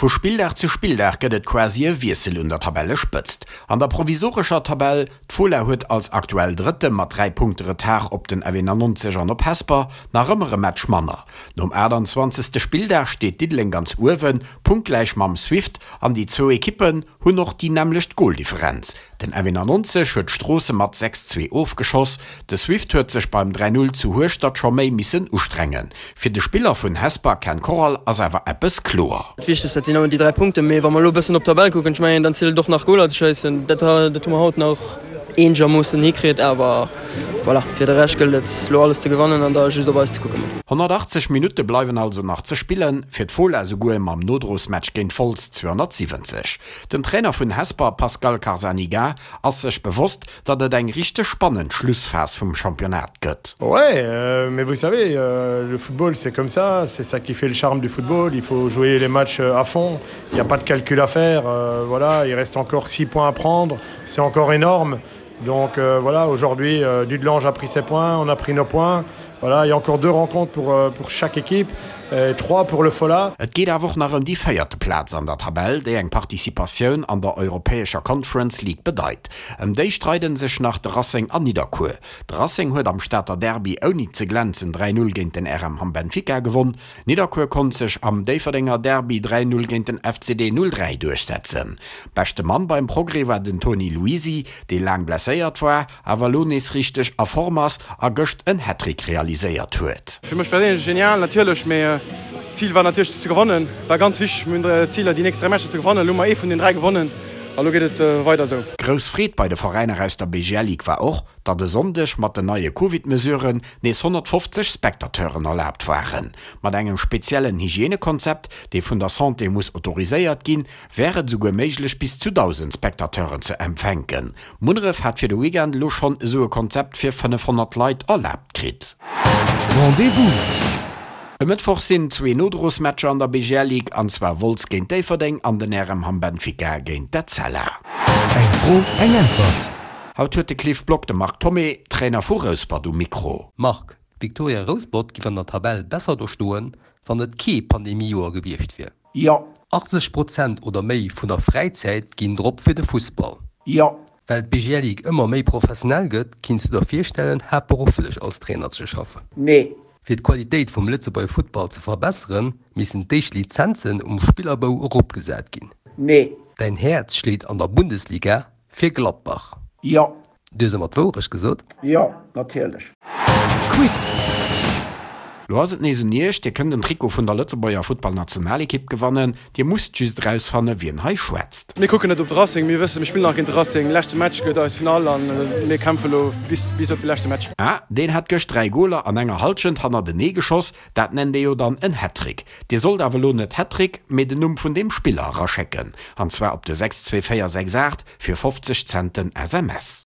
Vu Spilldag zu Spilldag gëtt et quasi e Wiessel un der Tabellespëtzt. An der provisorescher Tabell, d'Fola huet als aktuell Drëtte mat 3 Punkte Retard op den F91 an op Hesper nach ëmmer e Match manner. Nom 28. Spilldag steet Diddeleng ganz uewen, punktgläich mam Swift an déi zwou Ekippen hunn och déi nämmlecht Goldifferenz. Den F91 huet Stroosse mat 6, 2 ofgeschoss, de Swift huet sech beim 3, 0 zu Hueschtert scho méi missen ustrengen. Fir de Spiller vun Hesper Ken Corral ass awer eppes kloer. Dat Wichtegst dat sinn ëmmer déi 3 Punkten, mee wa mer elo e bëssen op d'Tabell kucken, ech mengen dann zielt et och nach Goler ze schéissen. Dat dat hu mer haut nach eenegermoossen hikritt, awer voilà, fir de Rescht gëllt et elo alles ze gewannen an da just op eis ze kucken. 180 Minutte bleiwen also nach ze spillen, fir d'Fola esouguer mam Nodrosmatch géint Wolz 270. Den Trainer vun Hesper Pascal Carzaniga ass sech bewosst, datt et eng richteg spannend Schlussphas vum Championnat gëtt. Ouais, mais vous savez, le football c'est comme ça, c'est ça qui fait le charme du football, il faut jouer les matchs à fond, il n'y a pas de calcul à faire, voilà, il reste encore 6 points à prendre, c'est encore énorme. Donc euh, voilà, aujourd'hui, euh, Dudelange a pris ses points, on a pris nos points. Voilà, il y a encore deux rencontres pour, euh, pour chaque équipe, et trois pour le Fola. Et geet awer och nach ëm déi véierte Plaz an der Tabell, déi eng Participatioun an der europäescher Conference League bedeit. Ëm déi streiden sech nach de Racing an Nidderkuer. De Racing huet am Stater Derby ouni ze glänzen 3, 0 géint den RM Hamm Benfica gewonn. Nidderkuer konnt sech am Déifferdenger Derby 3, 0 géint den FCD 03 duerchsetzen. Beschte Mann beim Progrès war den Toni Luisi, dee laang blesséiert war, awer elo nees richteg a Form ass a gëscht en Hattrick realiséiert huet. Fir mech perséinlech genial natierlech, mee d'Zil war natierlech ze gewannen. War ganz wichteg, mir hunn d'Ziler déi nächst 3 Matcher ze gewannen. Elo hu mer ee vun den 3 gewonnen a lo geet et weider esou. Grouss Freed bei de Veräiner aus der BGL Ligue war och, datt e Sonndeg mat den neie Covid-Mesuren nees 150 Spectateuren erlaabt waren. Mat engem speziellen Hygienekonzept, dee vun der Santé muss autoriséiert ginn, wär et esouguer méiglech bis zu 1.000 Spectateuren ze empfänken. Munneref hat fir de Weekend elo schonn esou e Konzept fir 500 Leit erlaabt kritt. Rendez-vous! E Mëttwoch sinn zwee Nodrosmatcher an der BGL Ligue, an zwar Wolz géint Déifferdeng an den RM Hamm Benfica géint d'Etzella. Eng Fro, eng Äntwert! Haut huet de Cliff Block de Marc Thomé, Trainer vu Rouspert um Mikro. Marc, D'Victoria Rouspert giff an der Tabell besser do stoen, wann et kee Pandemiejoer gewiescht wier. Jo. 80 Prozent oder méi vun der Fräizäit ginn drop fir de Fussball. Jo. Well d'BGL Ligue ëmmer méi professionell gëtt, kinns du der virstellen, haaptberufflech als Trainer ze schaffen? Nee. Fir d'Qualitéit vum Lëtzebuerger Futtball ze verbesseren, missten d'éischt Lizenzen um Spillerbou eropgesat ginn. Nee. Däin Häerz schléit an der Bundesliga fir Gladbach. Jo. Du hues ëmmer d'Wourecht gesot? Jo, natierlech. Quiz! Lo ass et nees un iech, Dir kënnt en Trikot vun der Lëtzebuerger Futtballnationalekipp gewannen. Dir musst just erausfanne wien hei schwätzt. Mir kucken net op de Racing, mir wëssen, mir spillen nach géint de Racing. Leschte Match gëtt eis Finall an mir kämpfe lo bis bis op de leschte Match. Ah, deen hat gëscht 3 Goler an enger Halschent hannertenee geschoss, dat nennt ee jo dann en Hattrick. Dir sollt awer lo net Hattrick, mee den Numm vun deem Spiller eraschécken, an zwar op de 62468 fir 50 Cent den SMS.